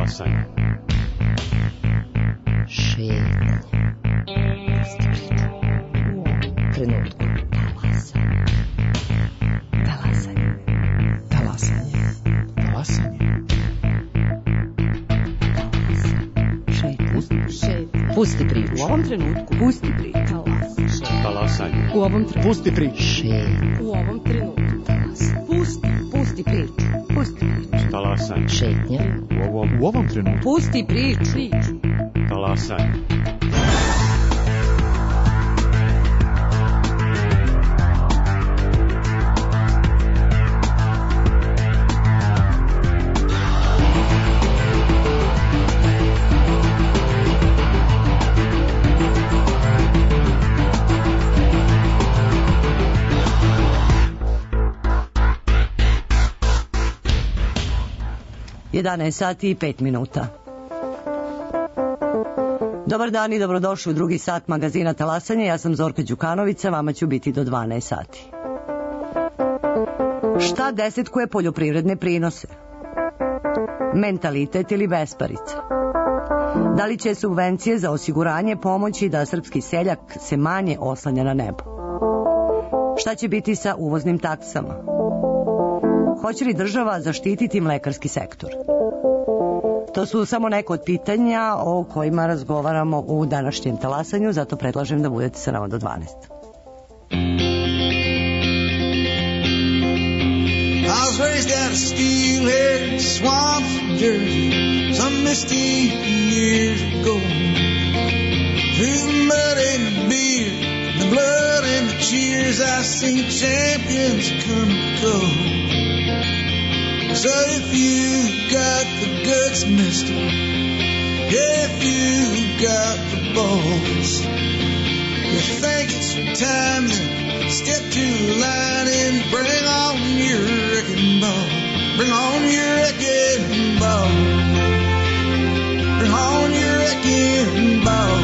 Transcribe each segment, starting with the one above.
Talasanje. Šetnje. Trenutku. Talasanje. Talasanje. Talasanje. Pusti priču. U ovom trenutku. Pusti priču. Talasanje. U ovom trenutku. Pusti priču. U ovom trenutku. Pusti priču. Pusti priču. Talasanje. Šetnja. U ovom trenutku. Pusti priču. Talasanje. Sati i 5 minuta. Dobar dan i dobrodošli u drugi sat magazina Talasanje. Ja sam Zorka Đukanovića, vama ću biti do 12 sati. Šta desetkuje poljoprivredne prinose? Mentalitet ili besparica? Da li će subvencije za osiguranje pomoći da srpski seljak se manje oslanja na nebo? Šta će biti sa uvoznim taksama? Hoće li država zaštititi mlekarski sektor? To su samo neko od pitanja o kojima razgovaramo u današnjem Talasanju, zato predlažem da budete sa nama do 12. I was raised out of steelhead swamps in Jersey some misty years ago. Through the mud and the beer, the blood and the cheers, I've seen champions come and go. So if you got the guts, mister, if you got the balls, you think it's time to step to the line and bring on your wrecking ball. Bring on your wrecking ball. Bring on your wrecking ball.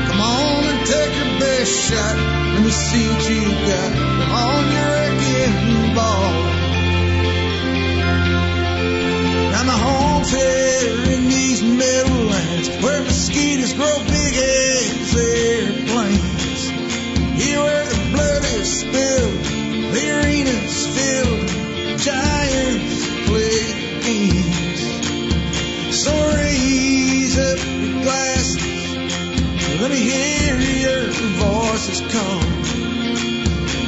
Come on and take your best shot. Let me see what you got. Bring on your wrecking ball. Now my home's here in these meadowlands where mosquitoes grow big as airplanes. Here where the blood is spilled, the arena's filled, giants play games. So raise up your glasses, let me hear your voices call.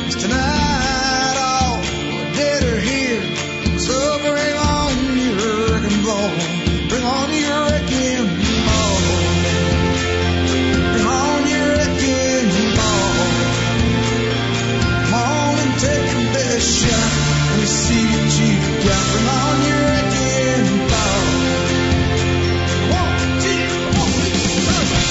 'Cause tonight all the dead are here, so bring on your wrecking ball. Bring on your wrecking ball. Bring on your wrecking ball. Come on and take your best shot. Let me see what you got. Bring on your wrecking ball. 1, 2, 1, 2, 3.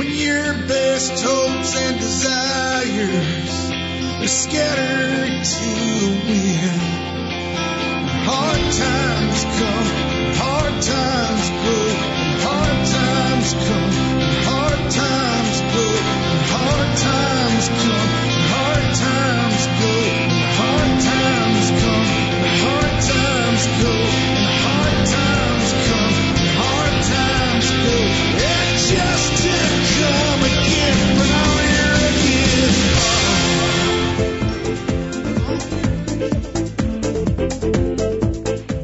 when your best hopes and desires are scattered to the wind. Hard times come, hard times go, hard times come, hard times go, hard times come, hard times go, hard times come, hard times go, hard times come, hard times go. And just to come again when all you're again.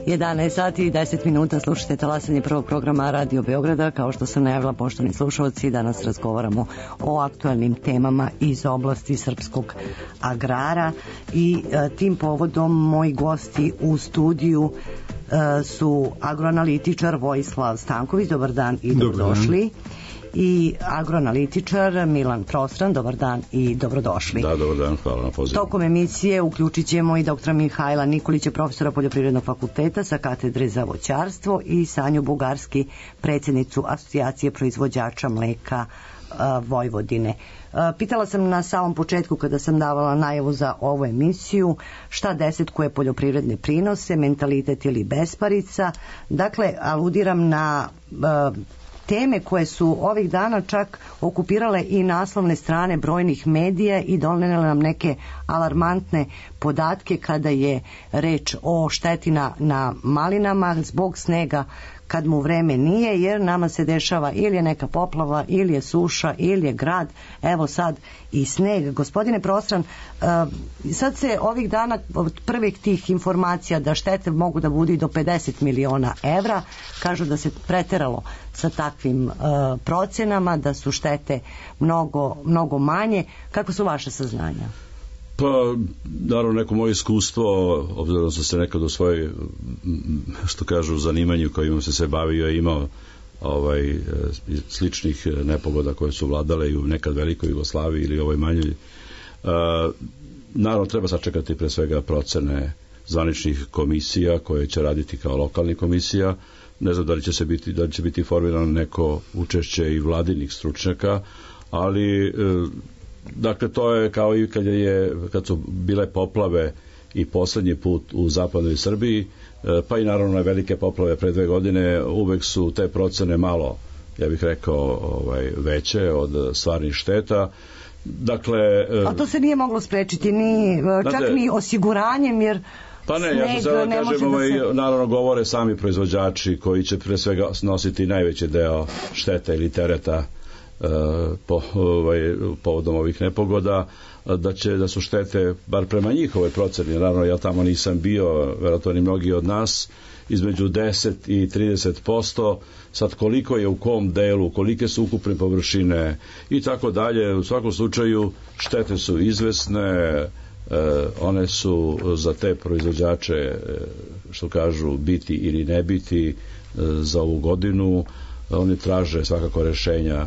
11 sati i 10 minuta, slušate talasanje prvog programa Radio Beograda. Kao što sam najavila, poštovani slušalci, danas razgovaramo o aktualnim temama iz oblasti srpskog agrara i tim povodom moji gosti u studiju su agroanalitičar Vojislav Stanković, dobar dan i dobrodošli. I agroanalitičar Milan Prostran, dobar dan i dobrodošli. Da, dobar dan, hvala na pozivu. Tokom emisije uključit ćemo i doktora Mihajla Nikolića, profesora Poljoprivrednog fakulteta sa katedre za voćarstvo, i Sanju Bugarski, predsjednicu Asocijacije proizvođača mleka Vojvodine. Pitala sam na samom početku, kada sam davala najavu za ovu emisiju, šta desetkuje poljoprivredne prinose, mentalitet ili besparica. Dakle, aludiram na teme koje su ovih dana čak okupirale i naslovne strane brojnih medija i donele nam neke alarmantne podatke kada je reč o šteti na malinama zbog snega kad mu vreme nije, jer nama se dešava ili je neka poplava, ili je suša, ili je grad, evo sad i sneg. Gospodine Prostran, sad se ovih dana od prvih tih informacija da štete mogu da budu i do 50 miliona evra, kažu da se preteralo sa takvim procenama, da su štete mnogo manje. Kako su vaše saznanja? Pa, naravno, neko moje iskustvo, obzirom da sam se nekad u svojoj, što kažu, zanimanju kojim se se bavio, imao sličnih nepogoda koje su vladale i u nekad velikoj Jugoslaviji ili ovoj manjoj. Naravno, treba sačekati pre svega procene zvaničnih komisija koje će raditi kao lokalnih komisija. Ne znam da li će biti formirano neko učešće i vladinih stručnjaka, ali dakle, to je kao i kad su bile poplave i poslednji put u zapadnoj Srbiji, pa i naravno velike poplave pre 2 godine, uvek su te procene malo, ja bih rekao, veće od stvarnih šteta. Dakle, a to se nije moglo sprečiti čak ni osiguranjem, jer pa ne, ja ću sada kažem, naravno govore sami proizvođači koji će pre svega snositi najveći deo šteta ili tereta povodom ovih nepogoda, da su štete, bar prema njihovoj proceni, naravno ja tamo nisam bio, verovatno ni mnogi od nas, između 10 i 30%, sad koliko je u kom delu, kolike su ukupne površine i tako dalje. U svakom slučaju štete su izvesne, one su za te proizvođače, što kažu, biti ili ne biti za ovu godinu. Oni traže svakako rešenja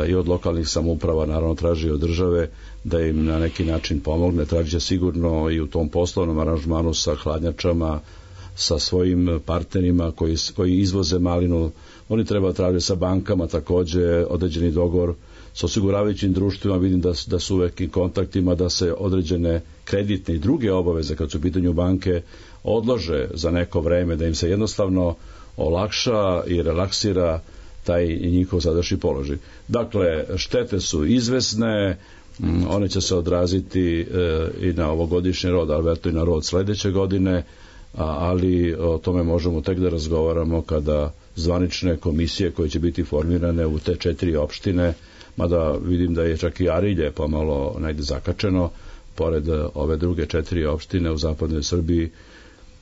i od lokalnih samouprava, naravno traži od države da im na neki način pomogne, traži sigurno i u tom poslovnom aranžmanu sa hladnjačama, sa svojim partnerima koji izvoze malinu. Oni treba tražiti sa bankama takođe određeni dogovor, sa osiguravajućim društvima. Vidim da su uvek i kontaktima da se određene kreditne i druge obaveze kad su u pitanju banke odlože za neko vreme, da im se jednostavno olakša i relaksira taj njihov sadašnji položaj. Dakle, štete su izvesne, one će se odraziti i na ovogodišnji rod, ali veto i na rod sledeće godine, ali o tome možemo tek da razgovaramo kada zvanične komisije koje će biti formirane u te 4 opštine, mada vidim da je čak i Arilje pomalo najde zakačeno, pored ove druge 4 opštine u zapadnoj Srbiji,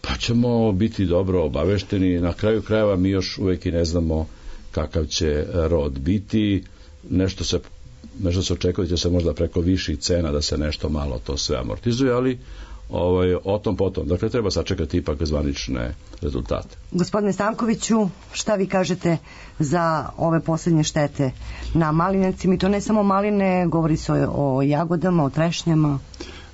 pa ćemo biti dobro obavešteni. Na kraju krajeva mi još uvek i ne znamo kakav će rod biti. Nešto se očekuje da će se možda preko viših cena da se nešto malo to sve amortizuje, ali o tom potom. Dakle, treba sačekati ipak zvanične rezultate. Gospodine Stankoviću, šta vi kažete za ove poslednje štete na malinarcima? I to ne samo maline, govori se o jagodama, o trešnjama.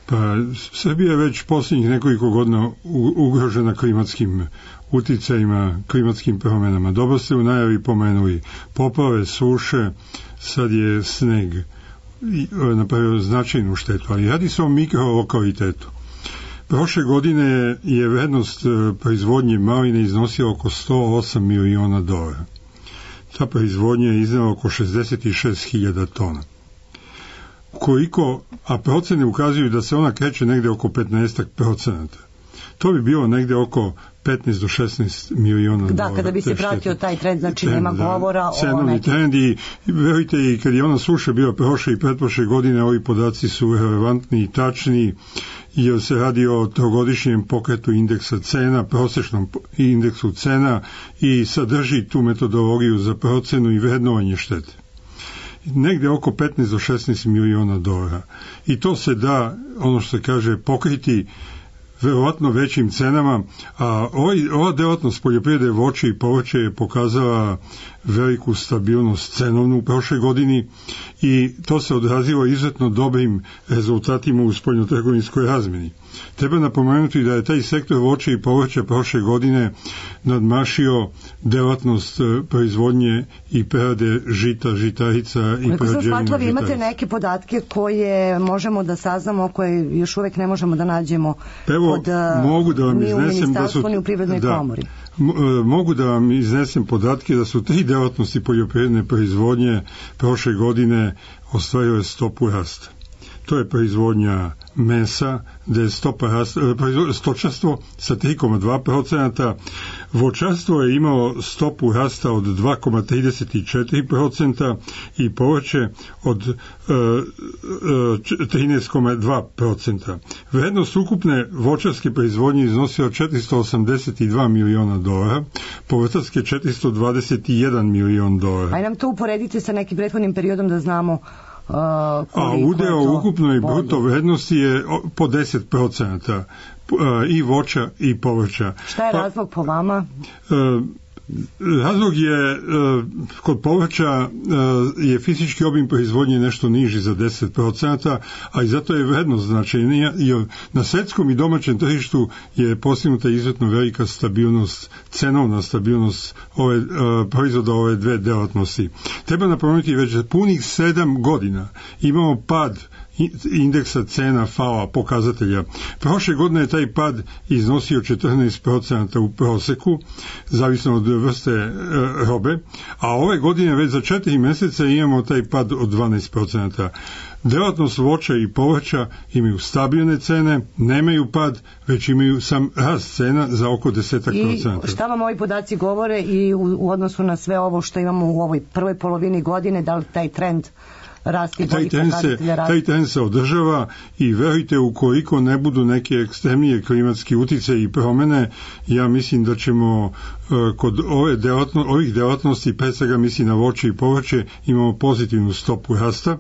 Pa Srbija je već posljednjih nekoliko godina ugrožena klimatskim uticajima, klimatskim promjenama. Dobro ste u najavi pomenuli poplave, suše, sad je sneg napravio značajnu štetu, ali radi se o mikrolokalitetu. Prošle godine je vrednost proizvodnje maline iznosila oko $108 miliona. Ta proizvodnja je iznela oko 66.000 tona. A procene ukazuju da se ona kreće negde oko 15%. To bi bilo negde oko 15 do 16 miliona da, kada bi se pratio taj trend, znači nema govora o nekim. Trend i verujte, i kad je ona suša bila prošle i pretprošle godine, ovi podaci su relevantni i tačni, jer se radi o trogodišnjem pokretu indeksa cena, prosječnom indeksu cena i sadrži tu metodologiju za procenu i vrednovanje štete. Negde oko 15 do 16 miliona dolara. I to se da, ono što se kaže, pokriti verovatno većim cenama, a ova delatnost poljoprivrede voća i povrća je pokazala veliku stabilnost cenovnu u prošle godini i to se odrazilo izuzetno dobrim rezultatima u spoljnotrgovinskoj razmeni. Treba napomenuti da je taj sektor voća i povrća prošle godine nadmašio delatnost proizvodnje i prerade žita, žitarica i prerađevina žitarica. Vi imate neke podatke koje možemo da saznamo, koje još uvek ne možemo da nađemo ni u ministarstvu, ni u Privrednoj komori. Mogu da vam iznesem podatke da su 3 delatnosti poljoprivredne proizvodnje prošle godine ostvarile stopu rasta. To je proizvodnja mesa, gde je stopa rasta, stočarstvo sa 3,2%, voćarstvo je imalo stopu rasta od 2,34% i povrće od 13,2%. Vrednost ukupne voćarske proizvodnje iznosila $482 miliona, povrtarske $421 milion. Aj nam to uporedite sa nekim prethodnim periodom da znamo. A udeo u ukupnoj bruto vrednosti je po 10% i voća i povrća. Šta je razlog po vama? Razlog je, kod povrća je fizički obim proizvodnje nešto niži za 10%, a i zato je vrednost značajnija, jer na svetskom i domaćem tržištu je postignuta izuzetno velika stabilnost, cenovna stabilnost proizvoda ove dve delatnosti. Treba napomenuti, već punih 7 godina imamo pad indeksa cena FAO pokazatelja. Prošle godine je taj pad iznosio 14% u proseku, zavisno od vrste robe, a ove godine već za 4 meseca imamo taj pad od 12%. Delatnost voća i povrća imaju stabilne cene, nemaju pad, već imaju sam rast cena za oko 10%. I šta vam ovi podaci govore i u odnosu na sve ovo što imamo u ovoj prvoj polovini godine, da li taj trend taj trend se održava i verujte, ukoliko ne budu neke ekstremnije klimatski uticaji i promene, ja mislim da ćemo kod ovih delatnosti, pre svega mislim na voće i povrće, imamo pozitivnu stopu rasta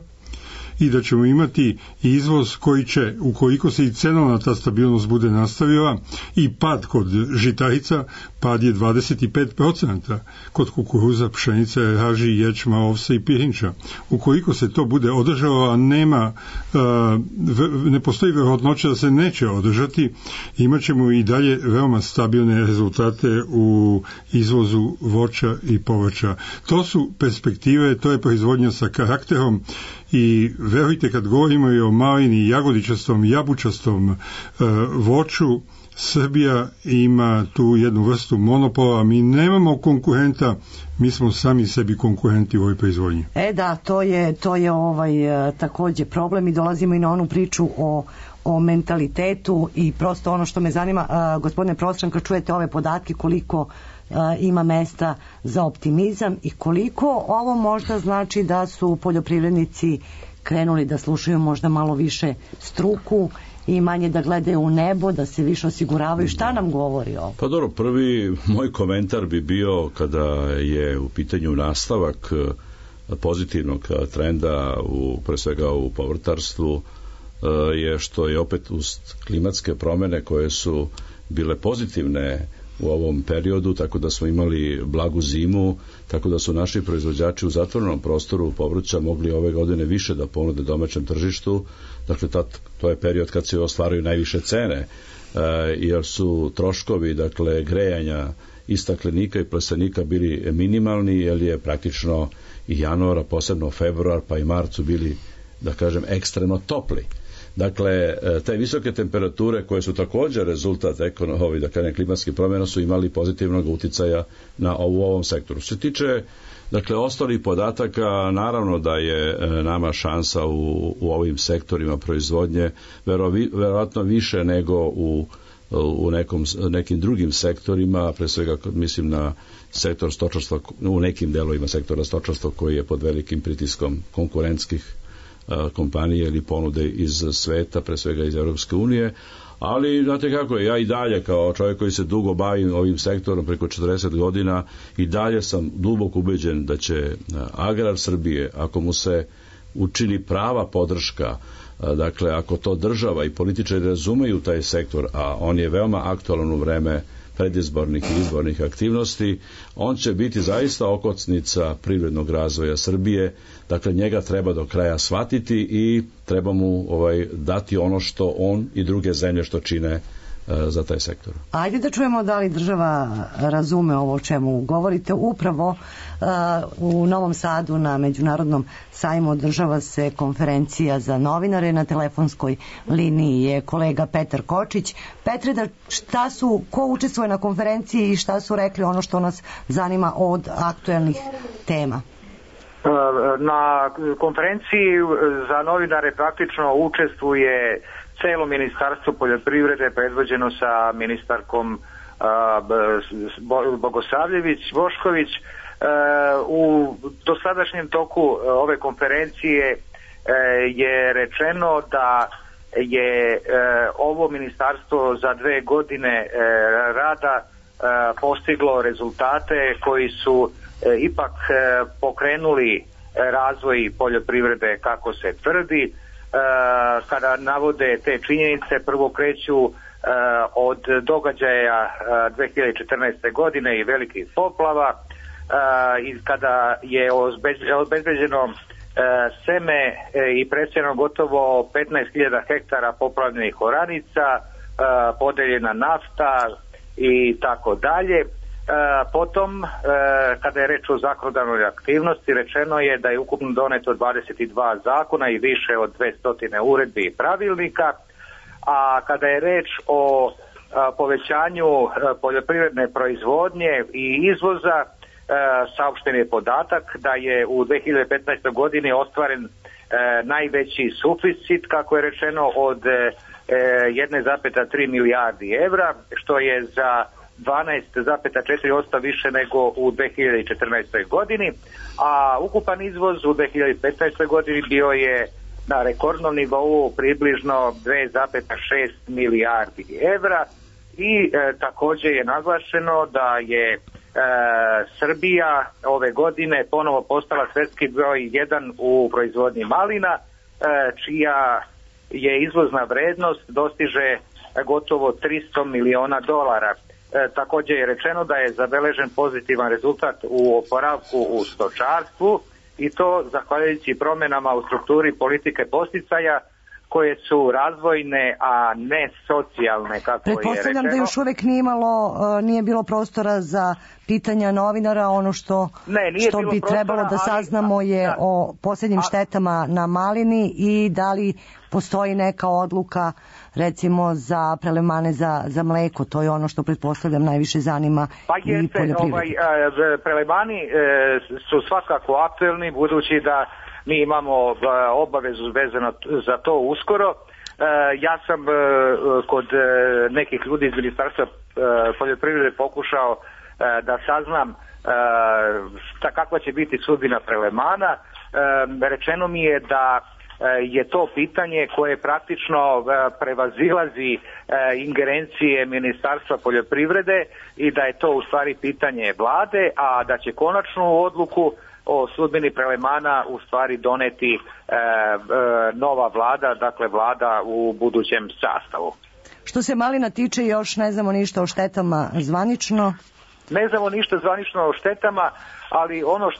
i da ćemo imati izvoz koji će, ukoliko se i cenovna ta stabilnost bude nastavila, i pad kod žitarica, pad je 25%, kod kukuruza, pšenice, raži, ječma, ovsa i pirinča. Ukoliko se to bude održalo, a ne postoji verovatnoća da se neće održati, imat ćemo i dalje veoma stabilne rezultate u izvozu voća i povrća. To su perspektive, to je proizvodnja sa karakterom i verujte, kad govorimo i o malini, jagodičastom, jabučastom voću, Srbija ima tu jednu vrstu monopola, mi nemamo konkurenta, mi smo sami sebi konkurenti u ovoj proizvodnji. Da, to je takođe problem i dolazimo i na onu priču o mentalitetu i prosto ono što me zanima, gospodine profesor, kad čujete ove podatke, koliko ima mesta za optimizam i koliko ovo možda znači da su poljoprivrednici krenuli da slušaju možda malo više struku i manje da gledaju u nebo, da se više osiguravaju. Šta nam govori ovo? Pa dobro, prvi moj komentar bi bio, kada je u pitanju nastavak pozitivnog trenda pre svega u povrtarstvu, je što je opet uz klimatske promene koje su bile pozitivne u ovom periodu, tako da smo imali blagu zimu, tako da su naši proizvođači u zatvorenom prostoru povrća mogli ove godine više da ponude domaćem tržištu. Dakle, to je period kad se ostvaruju najviše cene, jer su troškovi, dakle, grejanja i staklenika i plastenika bili minimalni, jer je praktično i januar, a posebno februar pa i mart su bili, da kažem, ekstremno topli. Dakle, te visoke temperature koje su također rezultat klimatskih promjena su imali pozitivnog uticaja na ovom sektoru. Što se tiče, dakle, ostalih podataka, naravno da je nama šansa u ovim sektorima proizvodnje verovatno više nego u nekim drugim sektorima, pre svega mislim na sektor stočarstva, u nekim delovima sektora stočarstva koji je pod velikim pritiskom konkurentskih kompanije ili ponude iz sveta, pre svega iz Europske unije, ali znate kako je, ja i dalje kao čovjek koji se dugo bavim ovim sektorom preko 40 godina i dalje sam duboko ubeđen da će agrar Srbije, ako mu se učini prava podrška, dakle ako to država i političari razumeju taj sektor, a on je veoma aktualan u vreme predizbornih i izbornih aktivnosti, on će biti zaista okocnica privrednog razvoja Srbije. Dakle, njega treba do kraja shvatiti i treba mu dati ono što on i druge zemlje što čine za taj sektor. Ajde da čujemo da li država razume ovo o čemu govorite. Upravo u Novom Sadu na Međunarodnom sajmu održava se konferencija za novinare. Na telefonskoj liniji je kolega Petar Kočić. Petre, ko učestvuje na konferenciji i šta su rekli, ono što nas zanima od aktuelnih tema? Na konferenciji za novinare praktično učestvuje celo ministarstvo poljoprivrede predvođeno sa ministarkom Bogosavljević-Bošković. U dosadašnjem toku ove konferencije je rečeno da je ovo ministarstvo za 2 godine rada postiglo rezultate koji su ipak pokrenuli razvoj poljoprivrede kako se tvrdi. Kada navode te činjenice, prvo kreću od događaja 2014. godine i velikih poplava, i kada je obezbeđeno seme i presijano gotovo 15.000 hektara poplavljenih oranica, podeljena nafta i tako dalje. Potom, kada je reč o zakonodavnoj aktivnosti, rečeno je da je ukupno doneto 22 zakona i više od 200 uredbi i pravilnika, a kada je reč o povećanju poljoprivredne proizvodnje i izvoza, saopšten je podatak da je u 2015. godini ostvaren najveći suficit, kako je rečeno, od 1,3 milijardi evra, što je za 12,4% više nego u 2014. godini, a ukupan izvoz u 2015. godini bio je na rekordnom nivou približno 2,6 milijardi evra i također je naglašeno da je Srbija ove godine ponovo postala svjetski broj 1 u proizvodnji malina, čija je izvozna vrednost dostiže gotovo $300 miliona. Također je rečeno da je zabeležen pozitivan rezultat u oporavku u stočarstvu i to zahvaljujući promjenama u strukturi politike podsticaja koje su razvojne, a ne socijalne, kako je rečeno. Pretpostavljam da još uvek nije bilo prostora za pitanja novinara. Ono što bi trebalo da saznamo je o posljednjim štetama na malini i da li postoji neka odluka recimo za prelevmane za mleko. To je ono što pretpostavljam najviše zanima i poljoprivrednika. Prelevmani su svakako aktuelni, budući da mi imamo obavezu vezano za to uskoro. Ja sam kod nekih ljudi iz Ministarstva poljoprivrede pokušao da saznam kakva će biti sudbina prelevmana. Rečeno mi je da je to pitanje koje praktično prevazilazi ingerencije Ministarstva poljoprivrede i da je to u stvari pitanje vlade, a da će konačnu odluku o sudbini prelevmana u stvari doneti nova vlada, dakle vlada u budućem sastavu. Što se malina tiče, još ne znamo ništa o štetama zvanično. Ne znamo ništa zvanično o štetama, ali ono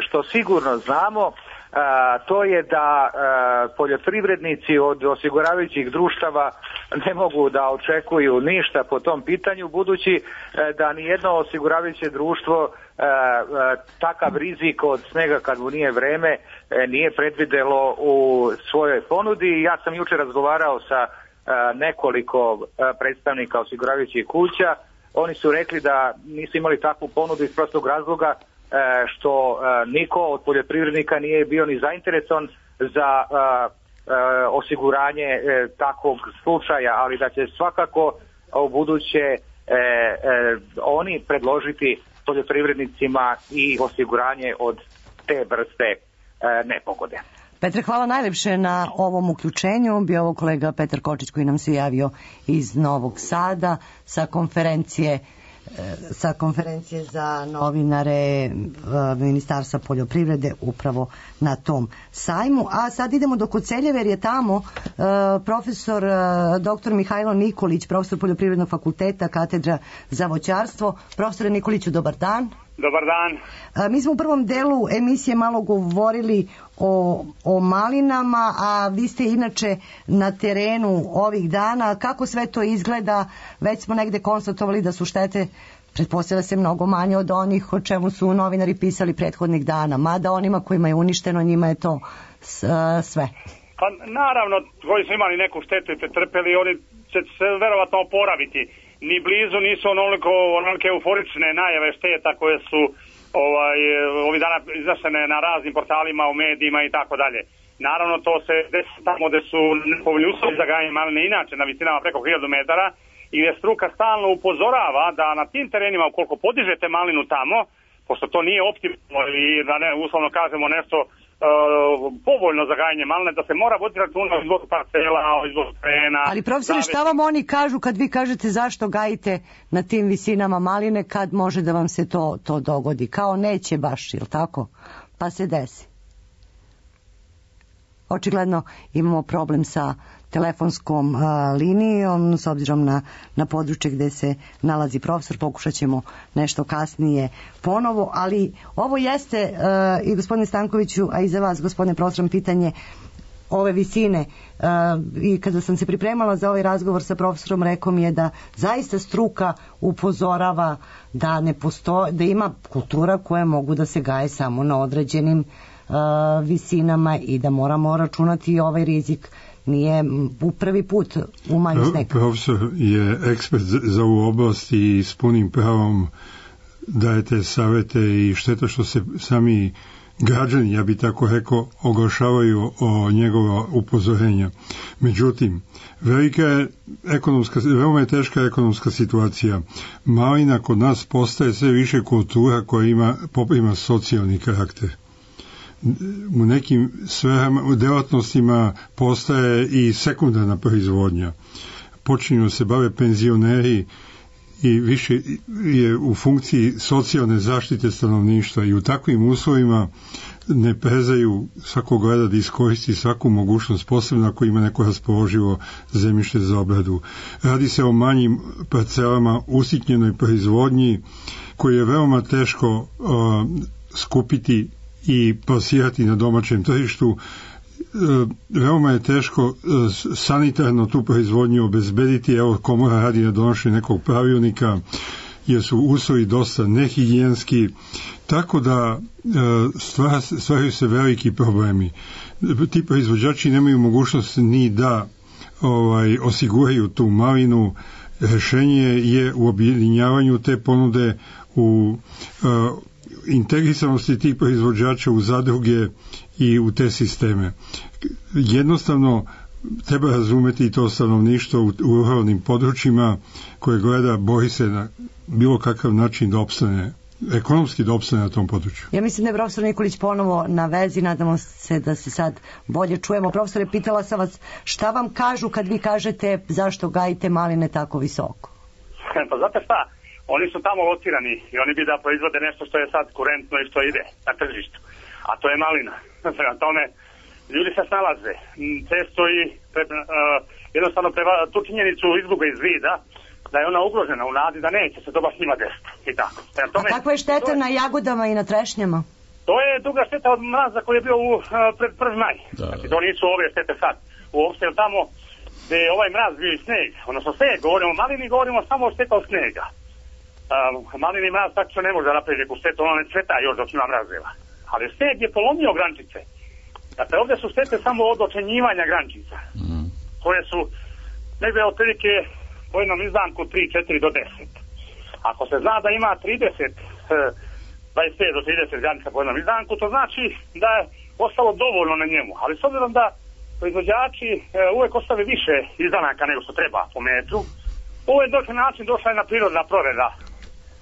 što sigurno znamo, to je da poljoprivrednici od osiguravajućih društava ne mogu da očekuju ništa po tom pitanju, budući da nijedno osiguravajuće društvo takav rizik od snega kad mu nije vreme nije predvidelo u svojoj ponudi. Ja sam jučer razgovarao sa nekoliko predstavnika osiguravajućih kuća. Oni su rekli da nisu imali takvu ponudu iz prostog razloga što niko od poljoprivrednika nije bio ni zainteresovan za osiguranje takvog slučaja, ali da će svakako u buduće oni predložiti poljoprivrednicima i osiguranje od te vrste nepogode. Petre, hvala najlepše na ovom uključenju. Bio ovo kolega Petar Kočić koji nam se javio iz Novog Sada sa konferencije za novinare Ministarstva poljoprivrede upravo na tom sajmu. A sad idemo do Koceljeve jer je tamo profesor dr. Mihajlo Nikolić, profesor Poljoprivrednog fakulteta, katedra za voćarstvo. Profesore Nikoliću, dobar dan. Dobar dan. Mi smo u prvom delu emisije malo govorili o malinama, a vi ste inače na terenu ovih dana. Kako sve to izgleda? Već smo negde konstatovali da su štete, pretpostavlja se, mnogo manje od onih o čemu su novinari pisali prethodnih dana, mada onima kojima je uništeno, njima je to sve. Pa naravno, koji su imali neku štetu i pretrpeli, oni će se verovatno oporaviti. Ni blizu nisu onolike euforične najave šteta koje su ovih dana izašene na raznim portalima, u medijima i tako dalje. Naravno, to se desi tamo gde su nepovoljni uslovi za gajenje maline inače na visinama preko 1000 metara i gde struka stalno upozorava da na tim terenima, ukoliko podižete malinu tamo, pošto to nije optimalno ili da ne uslovno kažemo nešto povoljno za gajenje maline, da se mora voditi računa o izvozu parcela, o izvozu terena. Ali profesore, šta vam oni kažu kad vi kažete zašto gajite na tim visinama maline, kad može da vam se to dogodi? Kao neće baš, ili tako? Pa se desi. Očigledno imamo problem sa telefonskom linijom, s obzirom na područje gde se nalazi profesor. Pokušat ćemo nešto kasnije ponovo, ali ovo jeste i gospodine Stankoviću, a i za vas, gospodine profesor, pitanje ove visine. I kada sam se pripremala za ovaj razgovor sa profesorom, rekao mi je da zaista struka upozorava da ne postoji, da ima kultura koje mogu da se gaje samo na određenim visinama i da moramo računati i ovaj rizik. Nije u prvi put umanju sneg. Profesor je ekspert za ovu oblast i s punim pravom dajete savete i šteta što se sami građani, ja bi tako rekao, oglašavaju o njegova upozorenja. Međutim, veoma je teška ekonomska situacija. Malina kod nas postaje sve više kultura koja ima socijalni karakter. U nekim sferama, u delatnostima postaje i sekundarna proizvodnja. Počinju se bave penzioneri i više je u funkciji socijalne zaštite stanovništva i u takvim uslovima ne prezaju svako gleda da iskoristi svaku mogućnost, posebno ako ima neko raspoloživo zemljište za obradu. Radi se o manjim parcelama, usitnjenoj proizvodnji koju je veoma teško skupiti i plasirati na domaćem tržištu. Veoma je teško sanitarno tu proizvodnju obezbediti. Evo, komora radi na donošenju nekog pravilnika jer su uslovi dosta nehigijenski, tako da stvaraju se veliki problemi. Ti proizvođači nemaju mogućnost ni da osiguraju tu malinu. Rešenje je u objedinjavanju te ponude, u integrisanosti tih proizvođača u zadruge i u te sisteme. Jednostavno treba razumeti to stanovništvo u ruralnim područjima koje gleda, bori se na bilo kakav način da opstane, ekonomski da opstane na tom području. Ja mislim da je profesor Nikolić ponovo na vezi, nadamo se da se sad bolje čujemo. Profesore, pitala sam vas šta vam kažu kad vi kažete zašto gajite maline tako visoko? Pa znate šta, oni su tamo locirani i oni bi da proizvode nešto što je sad kurentno i što ide na tržištu, a to je malina. Prema tome, ljudi se snalaze. Često i jednostavno tu činjenicu izgube iz vida, da je ona ugrožena u nadi, da neće se to baš njima desiti. I tako. A kakva je šteta na jagodama i na trešnjama? To je druga šteta od mraza koji je bio pred 1. maj. Znači, to nisu ove štete sad. Uopšte tamo gde je ovaj mraz bio i sneg, odnosno sneg, govorimo o malini, govorimo samo o šteta od snega. Malini mraz tako ne može da napravi neku štetu, ono ne cveta još dok ima mrazeva. Ali sneg je polomio grančice. Dakle, ovdje su štete samo od očenjivanja grančica, koje su negdje otprilike po jednom izdanku 3-4 do 10. Ako se zna da ima 25 do 30 granica po jednom izdanku, to znači da je ostalo dovoljno na njemu. Ali s obzirom da proizvođači uvek ostave više izdanaka nego što treba po metru, ovo je došli način, došla je na prirodna proreda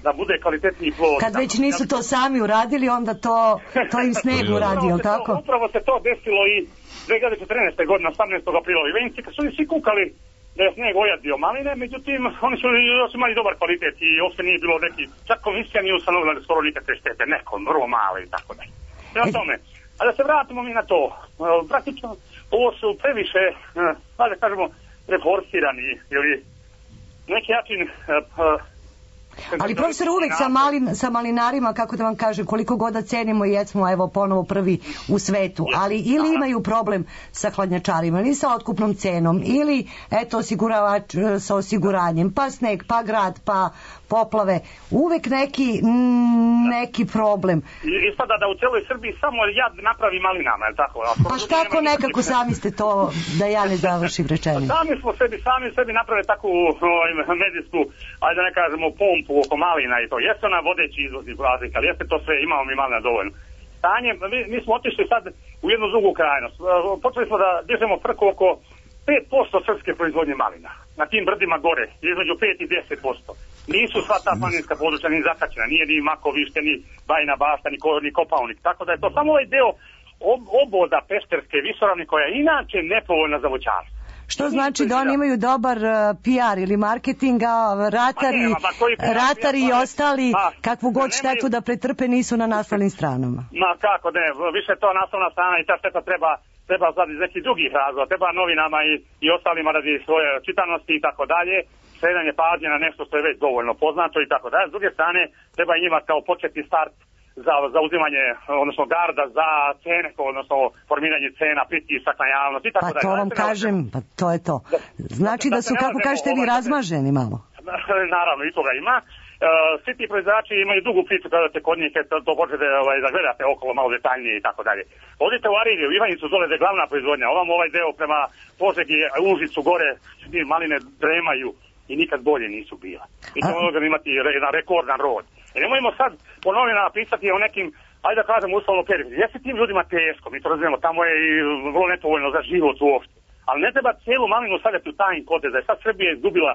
da bude kvalitetniji plod. Kad već nisu to sami uradili, onda to im sneg uradio, tako? Upravo se to desilo i 2014. godine, 18. aprila u Ivenci, kad su oni svi kukali da je sneg ojadio maline, međutim, oni su još imali dobar kvalitet i uopšte nije bilo neki, čak komisija nije ustanovila da skoro nikakve štete, nekom, vrlo male i tako da. Prema tome, a da se vratimo mi na to, praktično, ovo su previše, da kažemo, reforsirani ili neki način... Ali profesor, uvek sa malinarima, kako da vam kažem, koliko god da cenimo i jesmo evo ponovo prvi u svetu, ali ili imaju problem sa hladnjačarima, ili sa otkupnom cenom, ili eto osiguravač sa osiguranjem, pa sneg, pa grad, pa poplave, uvek neki problem. Ispada da u celoj Srbiji samo jad napravi malinama, je li tako? Pa kako nekako sami ste to, da ja ne završim rečenje? Sami sebi naprave takvu medijsku, ajde da ne kažemo, pompu oko malina i to. Jeste ona vodeći izvozni razlika, ali jeste to sve, imamo mi malina dovoljno. Stanje, mi smo otišli sad u jednu drugu krajnost. Počeli smo da dižemo frku oko 5% srpske proizvodnje malina. Na tim brdima gore, između 5 i 10%. Nisu sva ta planinska područja ni zakačena, nije ni Makovište, ni Bajina Bašta, ni Kopaonik. Tako da je to samo ovaj deo oboda Pešterske visoravni koja je inače nepovoljna za voćarstvo. Što znači da oni imaju dobar PR ili marketing, a ratari i ostali kakvu god štetu da pretrpe nisu na naslovnim stranama. Ma kako ne, više to naslovna strana i ta šteta treba sad iz nekih drugih razloga, treba novinama i ostalima radi svoje čitanosti i tako dalje, skretanje pažnje na nešto što je već dovoljno poznato i tako dalje. S druge strane, treba i njima kao početni start za uzimanje, odnosno garda za cene, odnosno formiranje cena, pritisak na javnost i tako dalje. Pa to vam kažem, pa to je to. Znači da su, kako kažete vi, razmaženi malo? Naravno, i toga ima. Svi ti proizvođači imaju dugu priču kada te kod njih to počete da gledate okolo malo detaljnije i tako dalje. Odite u Arilje, u Ivanjicu, dole da je glavna proizvodnja. Ovam ovaj deo prema Požegi, Užicu, gore, maline dremaju i nikad bolje nisu bila. Mi ćemo možemo imati jedan rekordan rod. I nemojmo sad po novinama pisati o nekim, ajde da kažem, uslovno periodi. Jeste tim ljudima teško, mi to razumijemo, tamo je i vrlo nepovoljno za život uopšte. Ali ne treba cijelu malinu stavljati u tajn kodez, da je sad Srbija izgubila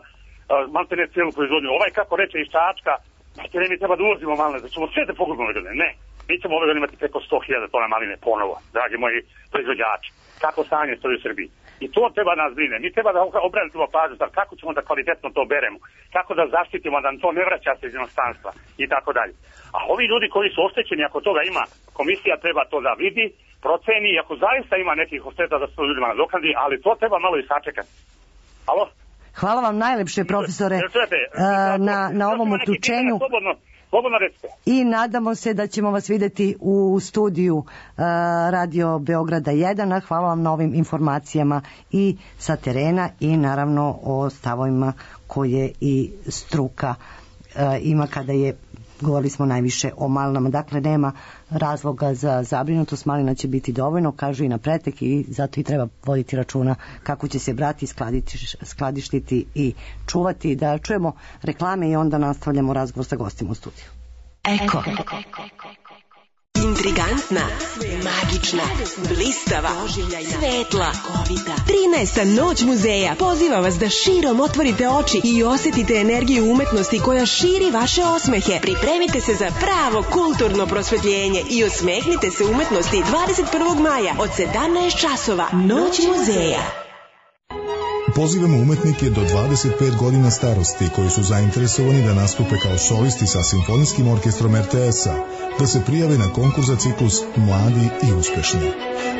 maltene cijelu proizvodnju. Ovaj, kako reče iz Čačka, maltene mi treba da uvozimo maline, da ćemo sve da pogubimo ove godine. Ne, mi ćemo ove godine imati preko 100.000 tona maline ponovo, dragi moji proizvođači. Kako stanje stoji u Srbiji. I to treba nas brine. Mi treba da obranimo pažnju, kako ćemo da kvalitetno to beremo, kako da zaštitimo da to ne vraća se iz inostranstva i tako dalje. A ovi ljudi koji su oštećeni, ako toga ima, komisija treba to da vidi, proceni, ako zaista ima nekih ošteta da se to ljudima nadoknadi, ali to treba malo i sačekati. Alo? Hvala vam najlepše, profesore, na ovom uključenju. Slobodno recite. I nadamo se da ćemo vas videti u studiju Radio Beograda 1. Hvala vam na ovim informacijama i sa terena i naravno o stavovima koje i struka ima kada je, govorili smo najviše o malinama, dakle nema razloga za zabrinutost, malina će biti dovoljno, kažu i na pretek, i zato i treba voditi računa kako će se brati, skladištiti i čuvati. Da čujemo reklame i onda nastavljamo razgovor sa gostima u studiju. Eko. Intrigantna, magična, blistava, svetla, 13. noć muzeja poziva vas da širom otvorite oči i osjetite energiju umetnosti koja širi vaše osmehe. Pripremite se za pravo kulturno prosvetljenje i osmehnite se umetnosti 21. maja od 17 časova. Noć muzeja. Pozivamo umetnike do 25 godina starosti koji su zainteresovani da nastupe kao solisti sa Simfonijskim orkestrom RTS-a, da se prijave na konkurs za ciklus Mladi i uspešni.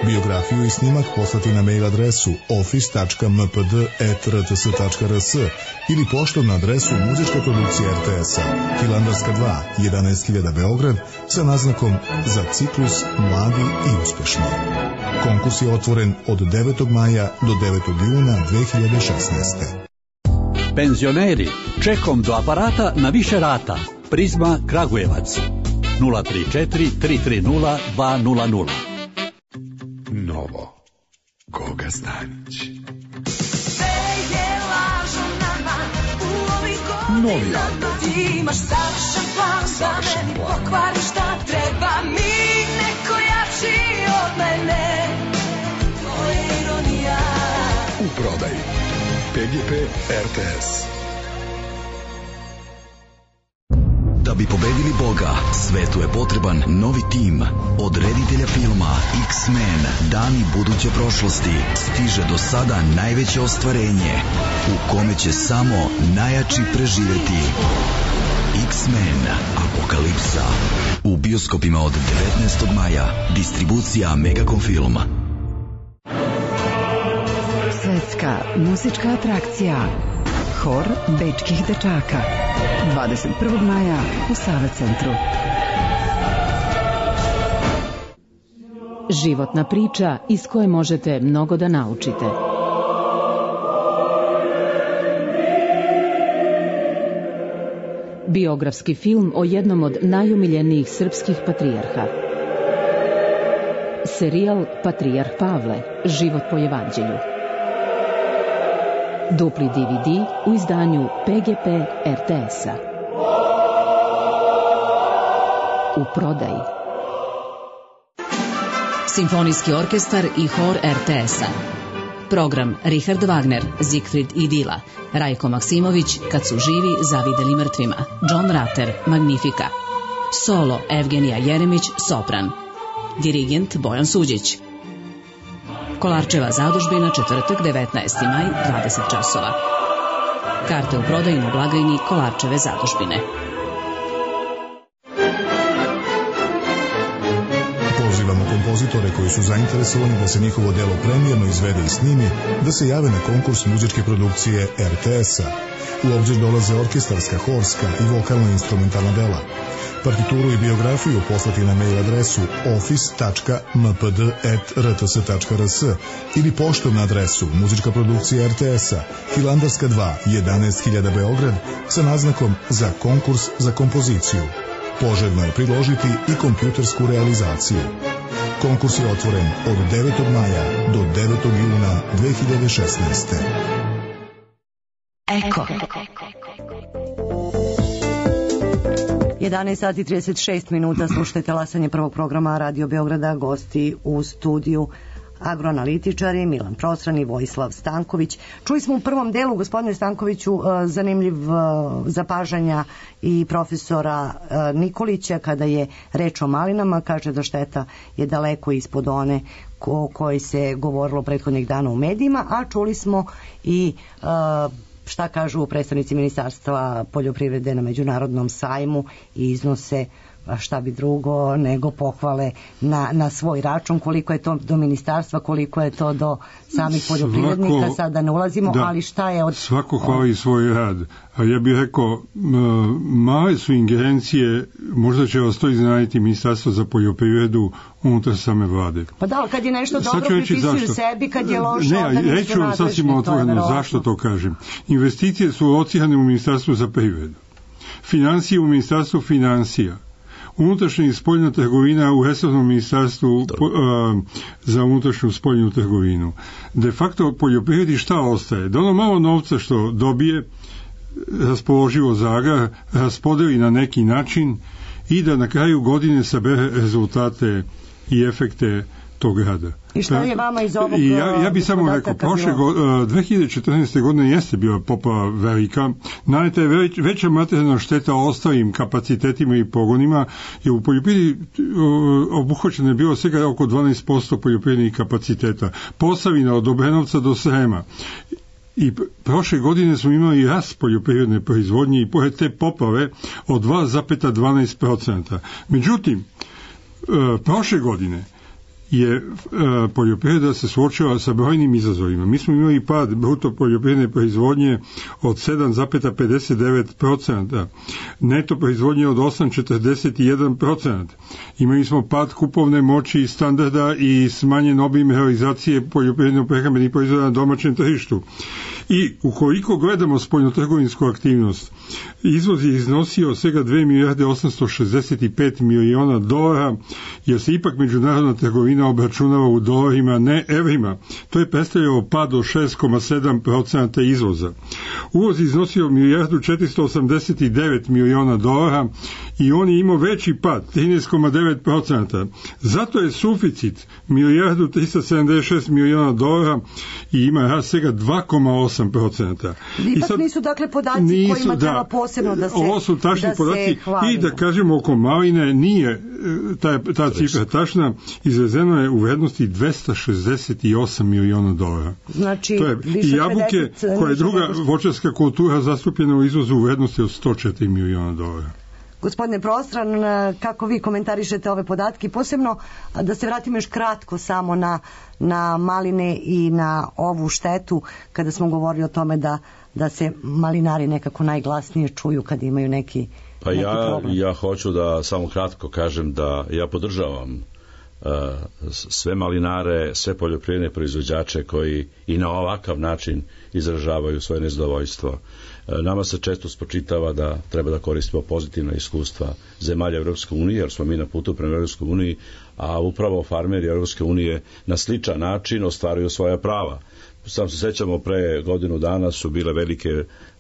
Biografiju i snimak poslati na mail adresu office.mpd@rts.rs ili poštom na adresu Muzička produkcija RTS-a, Hilandarska 2, 11.000 Beograd, sa naznakom za ciklus Mladi i uspešni. Konkurs je otvoren od 9. maja do 9. juna 2016. Penzioneri, čekom do aparata na više rata. Prizma Kragujevac 034 330 200. Novo. Goga Stanić. Novi album. Imaš savršen plan da meni pokvari šta treba mi neko jači od mene. To je ironija. U prodaji PGP RTS. Da bi pobedili Boga, svetu je potreban novi tim. Od reditelja filma X-Men, dani buduće prošlosti, stiže do sada najveće ostvarenje, u kome će samo najjači preživeti. X-Men, Apokalipsa. U bioskopima od 19. maja. Distribucija Megacom Film. Svetska muzička atrakcija. Hor bečkih dečaka. 21. maja u Save centru. Životna priča iz koje možete mnogo da naučite. Biografski film o jednom od najomiljenijih srpskih patrijarha. Serijal Patrijarh Pavle, život po evanđelju. Dupli DVD u izdanju PGP RTS-a. U prodaji. Simfonijski orkestar i hor RTS-a. Program Richard Wagner, Siegfried i Dila, Rajko Maksimović, Kad su živi zavideli mrtvima, John Ratter, Magnifica. Solo Evgenija Jeremić, sopran. Dirigent Bojan Suđić. Kolarčeva zadužbina, četvrtak, 19. maj, 20 časova. Karte u prodaju na blagajni Kolarčeve zadužbine. Pozivamo kompozitore koji su zainteresovani da se njihovo delo premijerno izvede i snimi, da se jave na konkurs muzičke produkcije RTS-a. U obzir dolaze orkestarska, horska i vokalno-instrumentalna dela. Partituru i biografiju poslati na mail adresu office.mpd@rts.rs ili poštom na adresu Muzička produkcija RTS-a, Hilandarska 2, 11.000 Beograd, sa naznakom za konkurs za kompoziciju. Poželjno je priložiti i kompjutersku realizaciju. Konkurs je otvoren od 9. maja do 9. juna 2016. Eko. 11 sati 36 minuta, slušajte talasanje prvog programa Radio Beograda, gosti u studiju agroanalitičari Milan Prosran i Vojislav Stanković. Čuli smo u prvom delu, gospodine Stankoviću, zanimljiv zapažanja i profesora Nikolića kada je reč o malinama, kaže da šteta je daleko ispod one o kojoj se govorilo prethodnih dana u medijima, a čuli smo i šta kažu predstavnici Ministarstva poljoprivrede na međunarodnom sajmu i iznose šta bi drugo nego pohvale na svoj račun, koliko je to do ministarstva, koliko je to do samih poljoprivrednika, sad da ne ulazimo, ali šta je od... Svako hvali svoj rad, a ja bih rekao, male su ingerencije, možda će vas to iznenaditi Ministarstvo za poljoprivredu unutar same vlade. Pa da, kad je nešto dobro pripisuju sebi, kad je loše, onda nisu nadležni. Reću vam sasvim otvoreno zašto to kažem. Investicije su locirane u Ministarstvu za privredu, financije u Ministarstvu financija, unutrašnja i spoljna trgovina u resornom ministarstvu za unutrašnju spoljnu trgovinu. De facto poljoprivredi šta ostaje? Da ono malo novca što dobije raspoloživo za agrar raspodeli na neki način i da na kraju godine sabere rezultate i efekte tog rada. I šta je vama iz ovog... Ja bi samo rekao, 2014. godine jeste bila poplava velika, najte je veća materijalna šteta ostalim kapacitetima i pogonima, jer u poljoprivredi obuhvaćeno je bilo svega oko 12% poljoprivrednih kapaciteta. Posavina od Obrenovca do Srema. i prošle godine smo imali rast poljoprivredne proizvodnje i pored te poplave od 2,12%. Međutim, prošle godine je poljoprivreda se suočila sa brojnim izazovima. Mi smo imali pad bruto poljoprivredne proizvodnje od 7,59%, neto proizvodnje od 8,41%. Imali smo pad kupovne moći i standarda i smanjen obim realizacije poljoprivredno-prehrambenih proizvoda na domaćem tržištu. I ukoliko gledamo spoljnotrgovinsku aktivnost, izvoz je iznosio svega 2 milijarde 865 miliona dolara, jer se ipak međunarodna trgovina obračunava u dolarima, ne evrima. To je predstavljalo pad od 6,7% izvoza. Uvoz je iznosio milijardu 489 miliona dolara i on je imao veći pad, 13,9%. Zato je suficit milijardu 376 miliona dolara i ima rast svega 2,8%. Ipak nisu dakle podaci kojima treba posebno da se ovo su tačni podaci i da kažemo oko maline nije ta cifra tačna, izvezeno je u vrednosti 268 miliona dolara. Znači, to je i jabuke koja je druga voćarska kultura zastupljena u izvozu u vrednosti od 104 miliona dolara. Gospodine Prostran, kako vi komentarišete ove podatke, posebno da se vratimo još kratko samo na maline i na ovu štetu kada smo govorili o tome da se malinari nekako najglasnije čuju kad imaju neki problem. Ja hoću da samo kratko kažem da ja podržavam sve malinare, sve poljoprivredne proizvođače koji i na ovakav način izražavaju svoje nezadovoljstvo. Nama se često spočitava da treba da koristimo pozitivna iskustva zemalja Evropske unije, jer smo mi na putu prema Evropskoj uniji, a upravo farmeri Evropske unije na sličan način ostvaruju svoja prava. Sam se sećamo, pre godinu dana su bile velike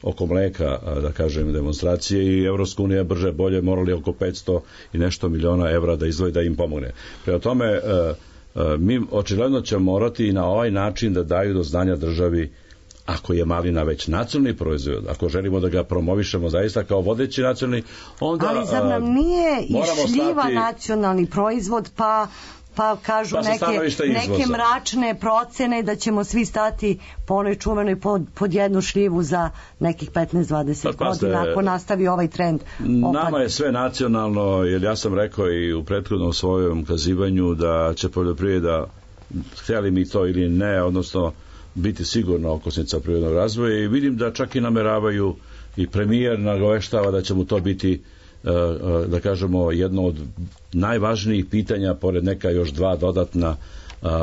oko mleka, da kažem, demonstracije i Evropska unija brže bolje morali oko 500 i nešto miliona evra da izdvoji da im pomogne. Prema tome, mi očigledno ćemo morati i na ovaj način da daju do znanja državi, ako je malina već nacionalni proizvod, ako želimo da ga promovišemo zaista kao vodeći nacionalni, onda ali zar nam nije i šljiva nacionalni proizvod, pa kažu neke mračne procene da ćemo svi stati po onoj čuvenoj pod jednu šljivu za nekih 15-20 godina ako nastavi ovaj trend. Nama je sve nacionalno, jer ja sam rekao i u prethodnom svojom kazivanju da će poljoprivreda, htjeli mi to ili ne, odnosno biti sigurno okosnica privrednog razvoja, i vidim da čak i nameravaju i premijer nagoveštava da će mu to biti, da kažemo, jedno od najvažnijih pitanja, pored neka još dva dodatna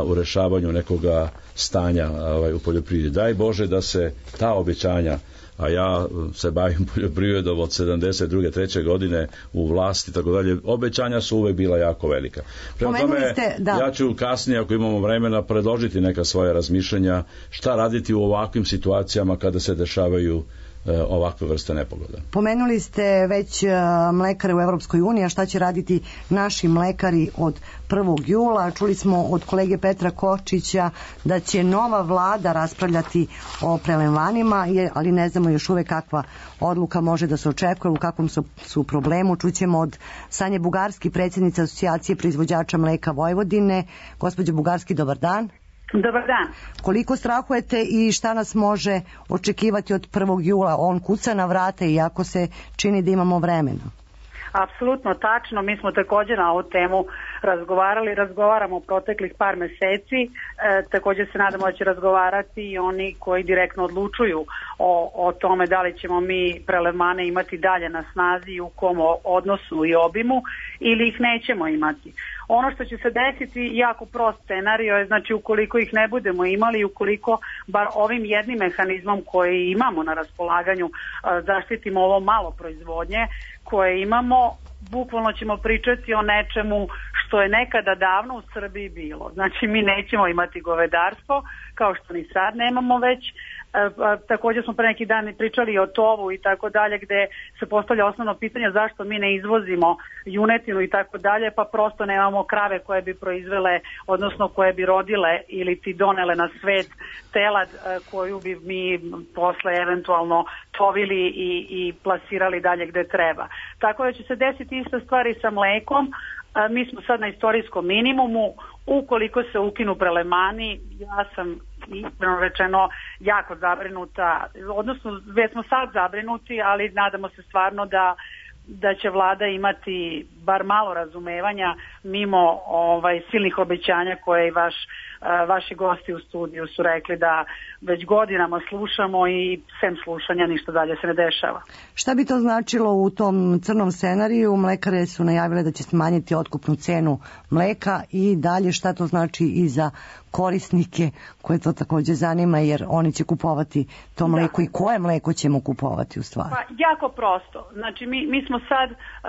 u rešavanju nekoga stanja u poljoprivredi. Daj Bože da se ta obećanja, a ja se bavim poljoprivredom od 72. 3. godine u vlasti, tako dalje, obećanja su uvek bila jako velika. Prema tome, ja ću kasnije, ako imamo vremena, predložiti neka svoja razmišljanja šta raditi u ovakvim situacijama kada se dešavaju ovakve vrste nepogoda. Pomenuli ste već mlekare u Evropskoj uniji, a šta će raditi naši mlekari od 1. jula? Čuli smo od kolege Petra Kočića da će nova vlada raspravljati o prelevmanima, ali ne znamo još uvek kakva odluka može da se očekuje, u kakvom su problemu. Čućemo od Sanje Bugarski, predsjednice Asocijacije proizvođača mleka Vojvodine. Gospođo Bugarski, dobar dan. Dobar dan. Koliko strahujete i šta nas može očekivati od 1. jula? On kuca na vrata iako se čini da imamo vremena. Apsolutno tačno, mi smo također na ovu temu razgovaramo proteklih par meseci, također se nadamo da će razgovarati i oni koji direktno odlučuju o tome da li ćemo mi prelevmane imati dalje na snazi i u kom odnosu i obimu ili ih nećemo imati. Ono što će se desiti, jako prost scenario je, znači ukoliko ih ne budemo imali, ukoliko bar ovim jednim mehanizmom koji imamo na raspolaganju zaštitimo ovo malo proizvodnje koje imamo, bukvalno ćemo pričati o nečemu što je nekada davno u Srbiji bilo. Znači mi nećemo imati govedarstvo, kao što ni sad nemamo već. Također smo pre neki dan pričali o tovu i tako dalje, gde se postavlja osnovno pitanje zašto mi ne izvozimo junetinu i tako dalje, pa prosto nemamo krave koje bi proizvele, odnosno koje bi rodile ili ti donele na svet telad koju bi mi posle eventualno tovili i plasirali dalje gde treba. Tako da će se desiti ista stvar i sa mlekom. Mi smo sad na istorijskom minimumu. Ukoliko se ukinu prelevmani, ja sam ispravno rečeno jako zabrinuta, odnosno već smo sad zabrinuti, ali nadamo se stvarno da će vlada imati bar malo razumevanja mimo silnih obećanja koje i vaši gosti u studiju su rekli da već godinama slušamo i sem slušanja ništa dalje se ne dešava. Šta bi to značilo u tom crnom scenariju? Mlekare su najavile da će smanjiti otkupnu cenu mleka i dalje šta to znači i za korisnike koje to također zanima, jer oni će kupovati to mleko i koje mleko ćemo kupovati u stvari? Pa jako prosto. Znači mi smo sad